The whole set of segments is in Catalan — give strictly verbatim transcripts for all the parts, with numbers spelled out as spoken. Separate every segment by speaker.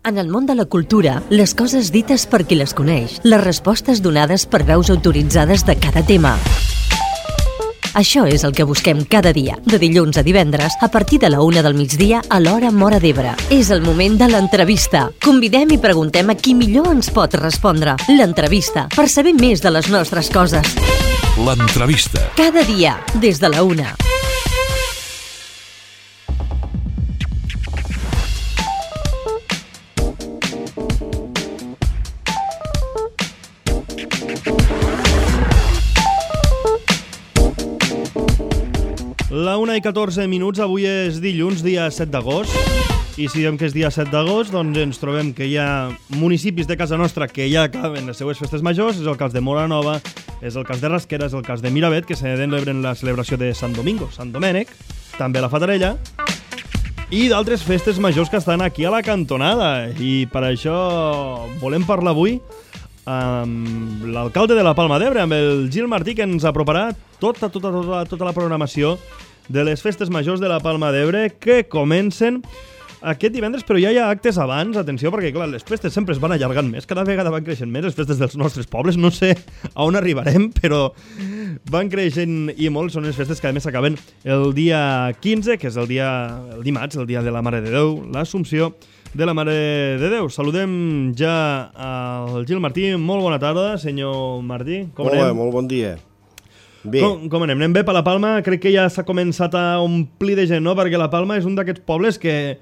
Speaker 1: En el món de la cultura, les coses dites per qui les coneix, les respostes donades per veus autoritzades de cada tema. Això és el que busquem cada dia, de dilluns a divendres, a partir de la una del migdia a l'hora Móra d'Ebre. És el moment de l'entrevista. Convidem i preguntem a qui millor ens pot respondre. L'entrevista, per saber més de les nostres coses.
Speaker 2: L'entrevista.
Speaker 1: Cada dia, des de la una.
Speaker 3: La una i catorze minuts, avui és dilluns, dia set d'agost, i si diem que és dia set d'agost, doncs ens trobem que hi ha municipis de casa nostra que ja acaben les seues festes majors. És el cas de Móra Nova, és el cas de Rasquera, és el cas de Miravet, que se celebren la celebració de Sant Domingo, Sant Domènec, també la Fatarella, i d'altres festes majors que estan aquí a la cantonada. I per això volem parlar avui amb l'alcalde de la Palma d'Ebre, amb el Gil Martí, que ens aproparà tota, tota, tota, tota la programació de les festes majors de la Palma d'Ebre, que comencen aquest divendres, però ja hi ha actes abans. Atenció, perquè clar, les festes sempre es van allargant més, cada vegada van creixent més les festes dels nostres pobles. No sé a on arribarem, però van creixent i molt. Són les festes que a més s'acaben el dia quinze, que és el dia el dimarts, el dia de la Mare de Déu, l'Assumpció de la Mare de Déu. Saludem ja al Gil Martí. Molt bona tarda, senyor Martí. Com anem?
Speaker 4: Hola, molt bon dia. Bé.
Speaker 3: Com, com anem? Anem bé per la Palma? Crec que ja s'ha començat a omplir de gent, no? Perquè la Palma és un d'aquests pobles que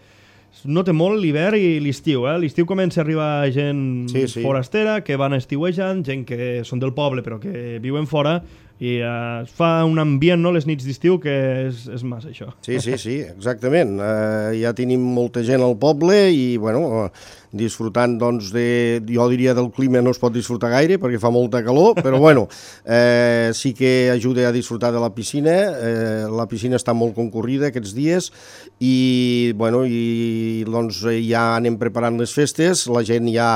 Speaker 3: no té molt l'hivern i l'estiu, eh? L'estiu comença a arribar gent
Speaker 4: sí, sí.
Speaker 3: forastera, que van estiuejant, gent que són del poble però que viuen fora, i eh, es fa un ambient, no?, les nits d'estiu, que és, és massa això.
Speaker 4: Sí, sí, sí, exactament. Uh, ja tenim molta gent al poble i, bueno, uh, disfrutant, doncs, de, jo diria del clima no es pot disfrutar gaire perquè fa molta calor, però, bueno, eh, sí que ajuda a disfrutar de la piscina. Eh, la piscina està molt concorrida aquests dies i, bueno, i, doncs, ja anem preparant les festes. La gent ja,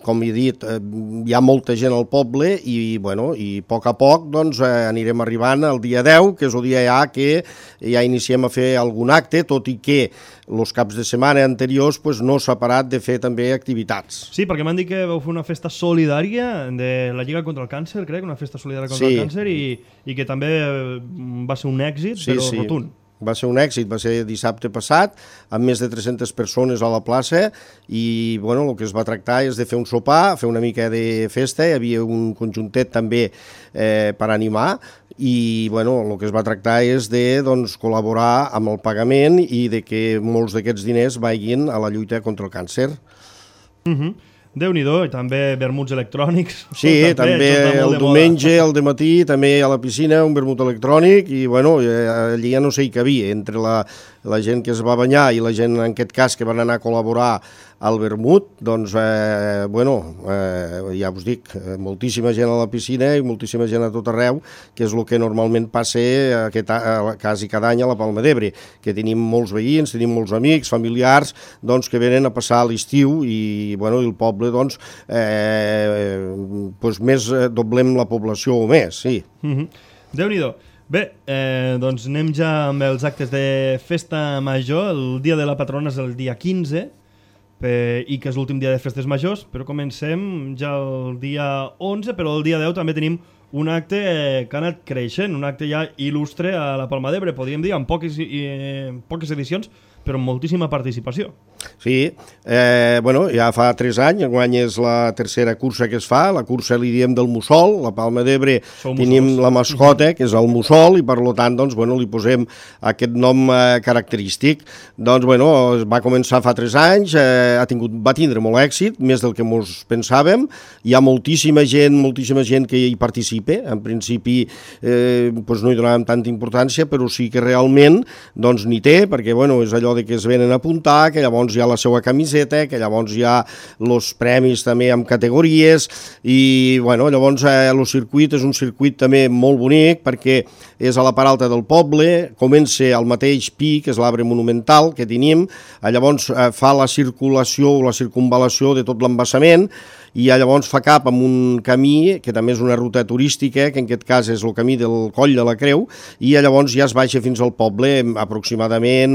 Speaker 4: com he dit, eh, hi ha molta gent al poble i, bueno, i a poc a poc, doncs, eh, anirem arribant al dia deu, que és el dia ja que ja iniciem a fer algun acte, tot i que els caps de setmana anteriors pues, no s'ha parat de fer també activitats.
Speaker 3: Sí, perquè m'han dit que vau fer una festa solidària de la Lliga contra el Càncer, crec, una festa solidària contra
Speaker 4: sí.
Speaker 3: el càncer, i, i que també va ser un èxit,
Speaker 4: sí,
Speaker 3: però
Speaker 4: sí.
Speaker 3: rotund.
Speaker 4: Va ser un èxit, va ser dissabte passat, amb més de tres-centes persones a la plaça, i bueno, el que es va tractar és de fer un sopar, fer una mica de festa, hi havia un conjuntet també eh, per animar, i bueno, el que es va tractar és de doncs, col·laborar amb el pagament i de que molts d'aquests diners vagin a la lluita contra el càncer.
Speaker 3: Mhm. Déu-n'hi-do, i també vermuts electrònics.
Speaker 4: Sí, també, també el diumenge, al dematí, també a la piscina, un vermut electrònic, i bueno, allí ja no sé hi cabia, entre la, la gent que es va banyar i la gent, en aquest cas, que van anar a col·laborar al vermut, doncs, eh, bueno, eh, ja us dic, moltíssima gent a la piscina i moltíssima gent a tot arreu, que és el que normalment passa aquest, quasi cada any a la Palma d'Ebre, que tenim molts veïns, tenim molts amics, familiars, doncs, que venen a passar l'estiu i, bueno, el poble, doncs, eh, doncs més doblem la població o més, sí.
Speaker 3: Mm-hmm. Déu-n'hi-do. Bé, eh, doncs anem ja amb els actes de festa major. El dia de la patrona és el dia quinze, eh, i que és l'últim dia de festes majors, però comencem ja el dia onze, però el dia deu també tenim un acte eh, que ha anat creixent, un acte ja il·lustre a la Palma d'Ebre, podríem dir, amb poques, eh, poques edicions, però amb moltíssima participació.
Speaker 4: Sí, eh, bueno, ja fa tres anys, enguany és la tercera cursa que es fa, la cursa li diem del mussol. La Palma d'Ebre tenim la mascota, que és el mussol, i per tant, doncs, bueno, li posem aquest nom eh, característic. Doncs, bueno, va començar fa tres anys, eh, ha tingut, va tindre molt èxit, més del que mos pensàvem. Hi ha moltíssima gent, moltíssima gent que hi participa. En principi, eh, doncs no hi donàvem tanta importància, però sí que realment, doncs, n'hi té, perquè, bueno, és allò de que es venen a apuntar, que llavors hi ha la seva camiseta, que llavors hi ha els premis també amb categories, i bueno, llavors eh, el circuit és un circuit també molt bonic perquè és a la part alta del poble, comença al mateix pi, que és l'arbre monumental que tenim, llavors eh, fa la circulació o la circunvalació de tot l'embassament, i llavors fa cap amb un camí, que també és una ruta turística, que en aquest cas és el camí del Coll de la Creu, i llavors ja es baixa fins al poble, aproximadament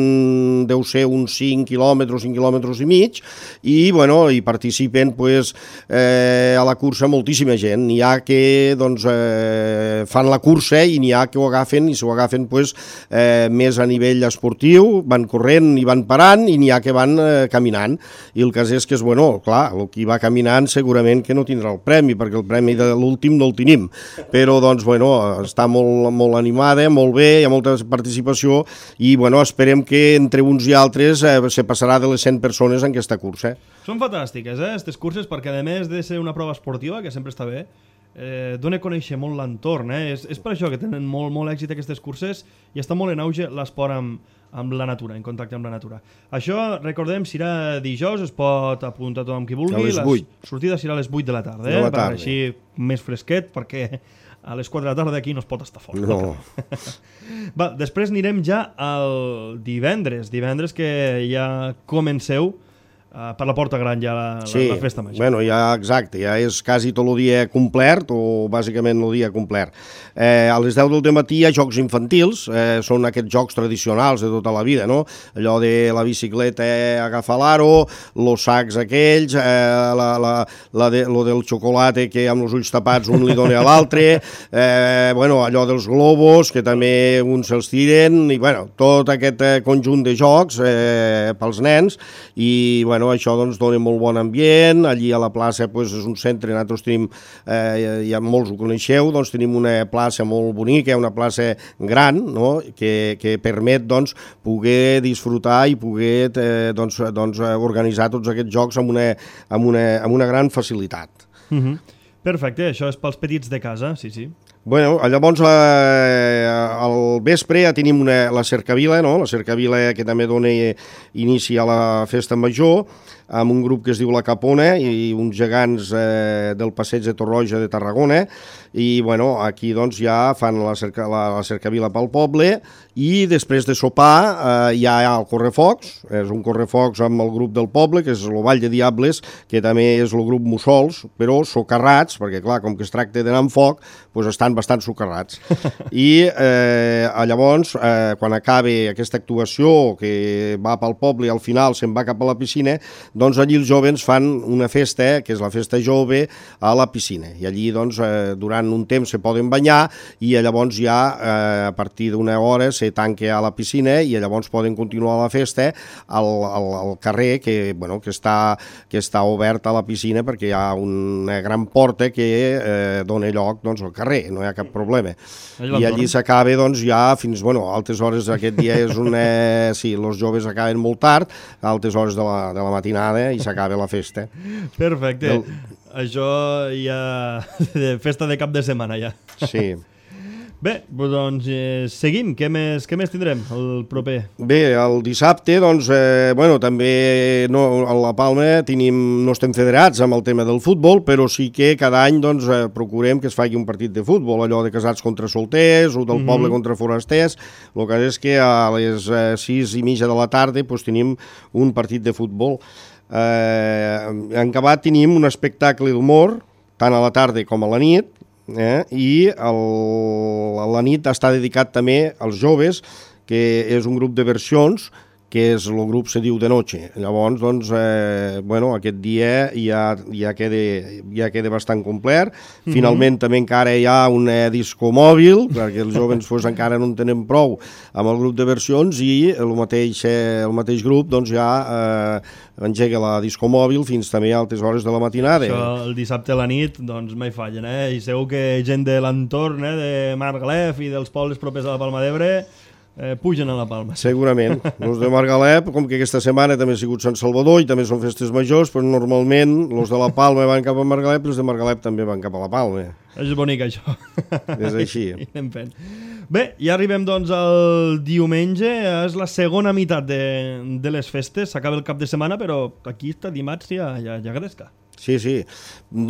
Speaker 4: deu ser uns cinc quilòmetres, cinc quilòmetres i mig, i bueno, hi participen pues, eh, a la cursa moltíssima gent. N'hi ha que doncs, eh, fan la cursa i n'hi ha que ho agafen, i s'ho agafen pues, eh, més a nivell esportiu, van corrent i van parant, i n'hi ha que van eh, caminant. I el cas és que és, bueno, clar, el qui va caminant segurament que no tindrà el premi, perquè el premi de l'últim no el tenim. Però, doncs, bueno, està molt, molt animada, molt bé, hi ha molta participació, i, bueno, esperem que entre uns i altres eh, se passarà de les cent persones en aquesta cursa.
Speaker 3: Són fantàstiques, eh, aquestes curses, perquè a més de ser una prova esportiva, que sempre està bé, eh, dona a conèixer molt l'entorn, eh? És, és per això que tenen molt, molt èxit aquestes curses i està molt en auge l'esport amb, amb la natura, en contacte amb la natura. Això, recordem, serà dijous, es pot apuntar tothom qui vulgui.
Speaker 4: A les vuit.
Speaker 3: La sortida serà a les vuit de la tarda, eh?
Speaker 4: De la tarda.
Speaker 3: Per així més fresquet, perquè a les quatre de la tarda aquí no es pot estar fort.
Speaker 4: No.
Speaker 3: Va, després anirem ja al divendres, divendres que ja comenceu Uh, per la Porta Gran ja la,
Speaker 4: sí,
Speaker 3: la, la festa major.
Speaker 4: Bueno, ja exacte, ja és quasi tot el dia complert, o bàsicament el dia complert. Eh, a les deu del matí hi ha jocs infantils, eh, són aquests jocs tradicionals de tota la vida, no? Allò de la bicicleta, eh, agafar l'aro, los sacs aquells, eh, la, la, la de, lo del xocolate que amb els ulls tapats un li dona a l'altre, eh, bueno, allò dels globus, que també uns se'ls tiren, i bueno, tot aquest eh, conjunt de jocs eh, pels nens, i bueno, això doncs dona molt bon ambient. Allí a la plaça pues, és un centre, nosaltres tenim, eh, ja molts ho coneixeu, doncs tenim una plaça molt bonica, una plaça gran, no? que, que permet doncs, poder disfrutar i poder eh, doncs, doncs, organitzar tots aquests jocs amb una, amb una, amb una gran facilitat.
Speaker 3: Uh-huh. Perfecte, això és pels petits de casa, sí, sí.
Speaker 4: Bueno, llavors eh, al vespre ja tenim una, la cercavila, no? La cercavila que també dona inici a la festa major, amb un grup que es diu La Capona i uns gegants eh, del passeig de Torroja de Tarragona, i bueno, aquí doncs ja fan la, cerca, la, la cercavila pel poble, i després de sopar eh, ja hi ha el correfocs, és un correfocs amb el grup del poble, que és el Vall de Diables, que també és el grup Mussols, però socarrats, perquè clar, com que es tracta d'anar amb foc, doncs estan bastant socarrats. I eh, llavors, eh, quan acabi aquesta actuació que va pel poble i al final se'n va cap a la piscina, doncs allí els joves fan una festa, que és la festa jove, a la piscina. I allí, doncs, eh, durant un temps se poden banyar i llavors ja, eh, a partir d'una hora, se tanca a la piscina i llavors poden continuar la festa al, al, al carrer, que, bueno, que, està, que està obert a la piscina perquè hi ha una gran porta que eh, dona lloc doncs, al carrer, no hi ha cap problema. I allí s'acaba, doncs, ja fins, bueno, a altes hores aquest dia és una... Sí, els joves acaben molt tard, a altes hores de la, de la matinada, i s'acaba la festa.
Speaker 3: Perfecte. El... Això ja... de festa de cap de setmana, ja.
Speaker 4: Sí.
Speaker 3: Bé, doncs eh, seguim. Què més, què més tindrem el proper?
Speaker 4: Bé, el dissabte, doncs, eh, bueno, també no, a La Palma tenim, no estem federats amb el tema del futbol, però sí que cada any doncs, eh, procurem que es faci un partit de futbol, allò de casats contra solters o del mm-hmm. poble contra forasters. El que és que a les eh, sis i mitja de la tarda doncs, tenim un partit de futbol. Eh, en acabat tenim un espectacle d'humor, tant a la tarda com a la nit, eh? I el, la nit està dedicat també als joves, que és un grup de versions, que és el grup se diu De Noche. Llavors, doncs, eh, bueno, aquest dia ja, ja, queda, ja queda bastant complet. Mm-hmm. Finalment també encara hi ha un eh, disco mòbil, perquè els joves pues, encara no en tenen prou amb el grup de versions, i el mateix, eh, el mateix grup doncs, ja eh, engega la disco mòbil fins també a altes hores de la matinada.
Speaker 3: Això el dissabte a la nit doncs mai fallen, eh? I segur que gent de l'entorn, eh, de Margalef i dels pobles propers a la Palma d'Ebre, Eh, pugen a la Palma.
Speaker 4: Segurament. Els de Margalef, com que aquesta setmana també ha sigut Sant Salvador i també són festes majors, però normalment els de la Palma van cap a Margalef i els de Margalef també van cap a la Palma.
Speaker 3: És bonic, això.
Speaker 4: És així.
Speaker 3: I anem fent. Bé, ja arribem doncs al diumenge, és la segona meitat de, de les festes, s'acaba el cap de setmana, però aquí està dimarts ja, ja, ja gresca.
Speaker 4: Sí, sí.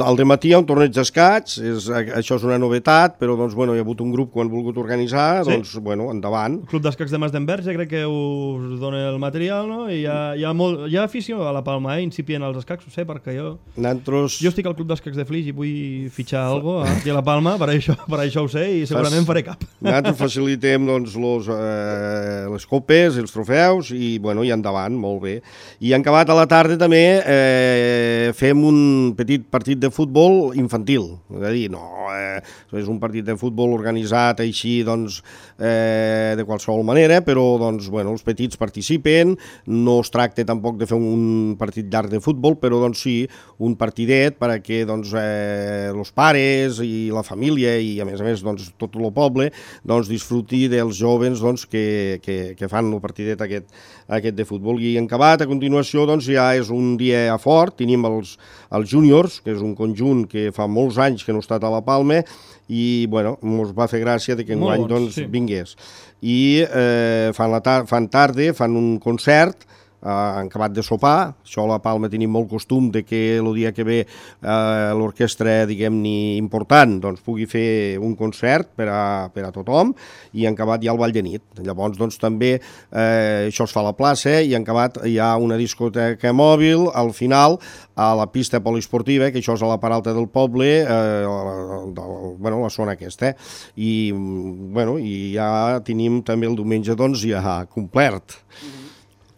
Speaker 4: Al dematí hi ha un torneig d'escaig, és, això és una novetat, però doncs, bueno, hi ha hagut un grup que ho han volgut organitzar, sí. doncs, bueno, endavant.
Speaker 3: El Club d'Escacs de Mas d'Enverge crec que us dona el material, no? I hi ha, hi ha, molt, hi ha afició a la Palma, eh? Incipient als escacs, ho sé, perquè jo...
Speaker 4: Nantros...
Speaker 3: Jo estic al Club d'Escacs de Flix i vull fitxar alguna cosa aquí a la Palma, per això, per això ho sé, i segurament faré cap.
Speaker 4: Nosaltres facilitem doncs, los, eh, les copes, els trofeus, i, bueno, i endavant, molt bé. I en acabat a la tarda també eh, fem un petit partit de futbol infantil, és a dir, no, eh, és un partit de futbol organitzat així, doncs, eh, de qualsevol manera, però, doncs, bueno, els petits participen, no es tracta tampoc de fer un partit llarg de futbol, però, doncs, sí, un partidet perquè, doncs, eh, els pares i la família i, a més a més, doncs, tot el poble, doncs, disfruti dels jovens, doncs, que, que, que fan el partidet aquest, aquest de futbol. I en acabat, a continuació, doncs, ja és un dia fort, tenim els, els júniors, que és un conjunt que fa molts anys que no ha estat a la Palma, i, bueno, ens va fer gràcia de que enguany, doncs, sí. vingués. I eh, fan, la tar fan tarda, fan un concert, han acabat de sopar, això a la Palma tenim molt costum de que el dia que ve eh, l'orquestra, diguem-ne, important, doncs pugui fer un concert per a, per a tothom, i han acabat ja el ball de nit. Llavors, doncs també eh, això es fa a la plaça, i han acabat hi ha una discoteca mòbil al final a la pista poliesportiva, que això és a la part alta del poble, eh, del, bueno, la zona aquesta, i, bueno, i ja tenim també el diumenge, doncs, ja complert. Mm-hmm.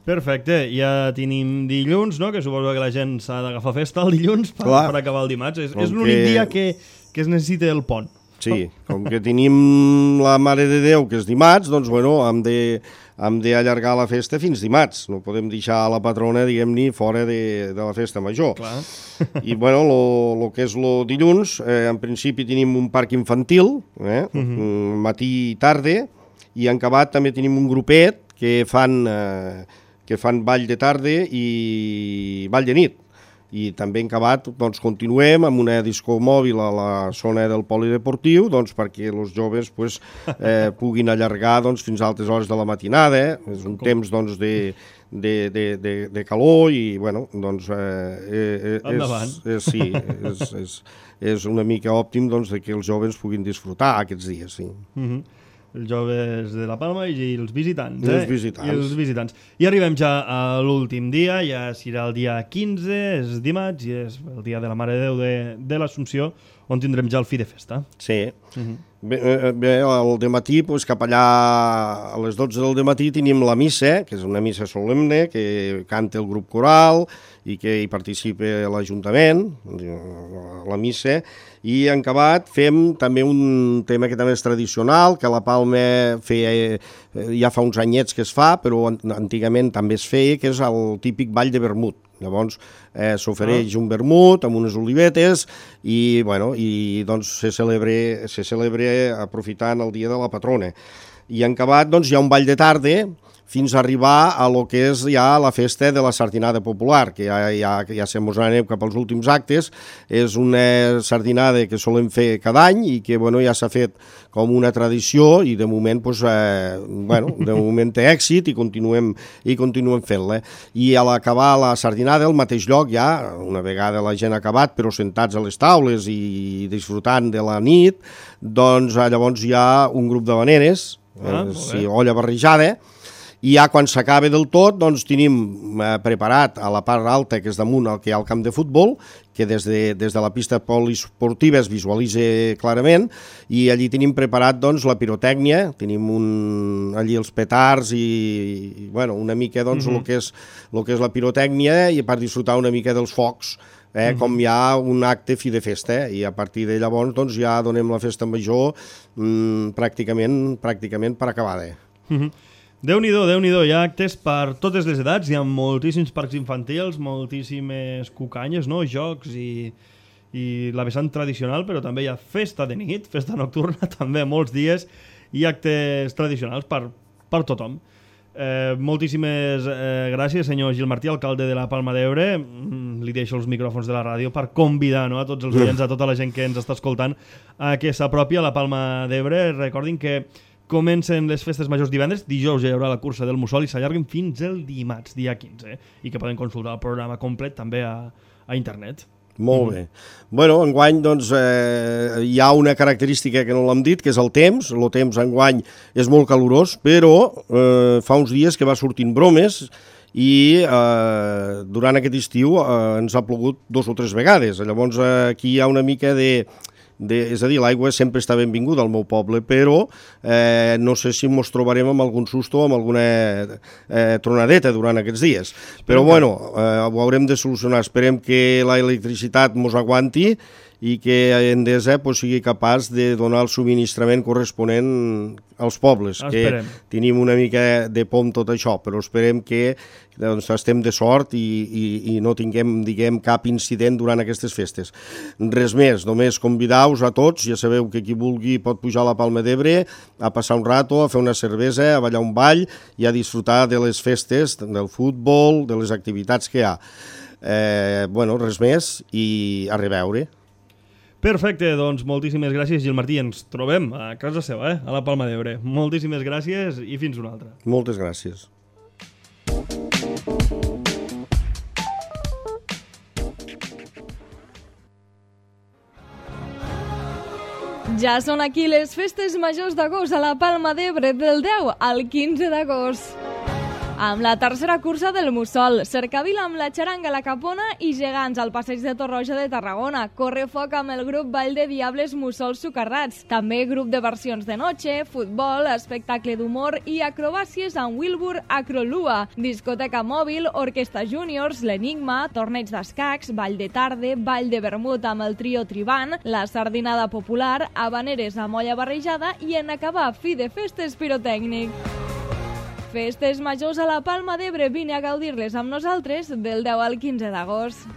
Speaker 3: Perfecte, ja tenim dilluns, no? Que suposo que la gent s'ha d'agafar festa el dilluns per, per acabar el dimarts. És, és l'únic que... dia que, que es necessita el pont.
Speaker 4: Sí, com que tenim la Mare de Déu, que és dimarts, doncs, bueno, hem de, hem d'allargar la festa fins dimarts. No podem deixar la patrona, diguem-ne, fora de, de la festa major.
Speaker 3: Clar.
Speaker 4: I, bueno, lo, lo que és lo dilluns, eh, en principi tenim un parc infantil, eh, uh-huh. matí i tarda, i en acabat també tenim un grupet que fan... Eh, que fan ball de tarda i ball de nit. I també en acabat doncs, continuem amb una disco mòbil a la zona del polideportiu, doncs, perquè els joves pues, eh, puguin allargar doncs, fins a altes hores de la matinada. Eh? És un Com? temps doncs, de, de, de, de, de calor i bueno, doncs, eh, eh, és, és, sí, és, és, és una mica òptim doncs, de que els joves puguin disfrutar aquests dies. Sí.
Speaker 3: Mm-hmm. Els joves de la Palma i els visitants.
Speaker 4: I
Speaker 3: eh?
Speaker 4: els visitants.
Speaker 3: I els visitants. I arribem ja a l'últim dia, ja serà el dia quinze, és dimarts, i és el dia de la Mare de Déu de, de l'Assumpció, on tindrem ja el fi de festa.
Speaker 4: Sí. Uh-huh. Bé, bé, al dematí, pues, cap allà a les dotze del dematí tenim la missa, que és una missa solemne, que canta el grup coral i que hi participa l'Ajuntament, la missa, i en acabat fem també un tema que també és tradicional, que a la Palma feia, ja fa uns anyets que es fa, però antigament també es feia, que és el típic ball de vermut. Llavors eh, s'ofereix ah. un vermut amb unes olivetes i, bueno, i doncs se celebra, se celebra aprofitant el dia de la patrona. I en acabat doncs, hi ha un ball de tarda fins a arribar a lo que és ja la festa de la sardinada popular, que ja, ja, ja se mos anem cap als últims actes. És una sardinada que solem fer cada any i que bueno, ja s'ha fet com una tradició i de moment, pues, eh, bueno, de moment té èxit i continuem, i continuem fent-la. I a l'acabar la sardinada, al mateix lloc, ja, una vegada la gent ha acabat, però sentats a les taules i disfrutant de la nit, doncs llavors hi ha un grup de baneres, ah, eh, sí, olla barrejada, i ja quan s'acaba del tot, doncs tenim eh, preparat a la part alta, que és damunt el que hi ha el camp de futbol, que des de, des de la pista poliesportiva es visualitza clarament, i allí tenim preparat doncs, la pirotècnia, tenim un, allí els petards i, i bueno, una mica doncs, mm-hmm. el, que és, el que és la pirotècnia i per disfrutar una mica dels focs, eh, mm-hmm. com hi ha un acte fi de festa, eh, i a partir de llavors doncs, ja donem la festa major mm, pràcticament, pràcticament per acabada.
Speaker 3: Mm-hmm. Déu-n'hi-do, Déu-n'hi-do, hi ha actes per totes les edats, hi ha moltíssims parcs infantils, moltíssimes cucanyes, no? Jocs i, i la vessant tradicional, però també hi ha festa de nit, festa nocturna, també molts dies, i actes tradicionals per, per tothom. Eh, moltíssimes eh, gràcies, senyor Gil Martí, alcalde de la Palma d'Ebre. Mm, li deixo els micròfons de la ràdio per convidar, no, a tots els oients, a tota la gent que ens està escoltant, a que s'apropi a la Palma d'Ebre. Recordin que comencen les festes majors divendres, dijous ja hi haurà la cursa del Mussol i s'allarguen fins el dimarts, dia quinze, eh? I que poden consultar el programa complet també a, a internet.
Speaker 4: Molt bé. Bueno, enguany doncs, eh, hi ha una característica que no l'hem dit, que és el temps. El temps enguany és molt calorós, però eh, fa uns dies que va sortint bromes i eh, durant aquest estiu eh, ens ha plogut dos o tres vegades. Llavors eh, aquí hi ha una mica de... De, és a dir, l'aigua sempre està benvinguda al meu poble, però eh, no sé si ens trobarem amb algun susto o amb alguna eh, tronadeta durant aquests dies. Però bueno, eh, ho haurem de solucionar. Esperem que l'electricitat mos aguanti i que Endesa pues, sigui capaç de donar el subministrament corresponent als pobles,
Speaker 3: esperem.
Speaker 4: Que tenim una mica de por amb tot això, però esperem que doncs, estem de sort i, i, i no tinguem, diguem, cap incident durant aquestes festes. Res més, només convidar-vos a tots, ja sabeu que qui vulgui pot pujar a la Palma d'Ebre, a passar un rato, a fer una cervesa, a ballar un ball i a disfrutar de les festes, del futbol, de les activitats que hi ha. Eh, bueno, res més i a reveure.
Speaker 3: Perfecte, doncs moltíssimes gràcies, Gil Martí. Ens trobem a casa seva, eh? A la Palma d'Ebre. Moltíssimes gràcies i fins una altra.
Speaker 4: Moltes gràcies.
Speaker 5: Ja són aquí les festes majors d'agost a la Palma d'Ebre del deu al quinze d'agost. Amb la tercera cursa del Mussol, cercavila amb la xaranga La Capona i gegants al passeig de Torroja de Tarragona, correfoc amb el grup Ball de Diables Mussols Socarrats, també grup de versions de noche, futbol, espectacle d'humor i acrobàcies amb Wilbur Acrolua, discoteca mòbil, orquestra júniors, l'Enigma, torneig d'escacs, ball de tarde, ball de vermut amb el trio Tribant, la sardinada popular, habaneres amb olla barrejada i en acabar fi de festes pirotècnic. Festes majors a la Palma d'Ebre, vine a gaudir-les amb nosaltres del deu al quinze d'agost.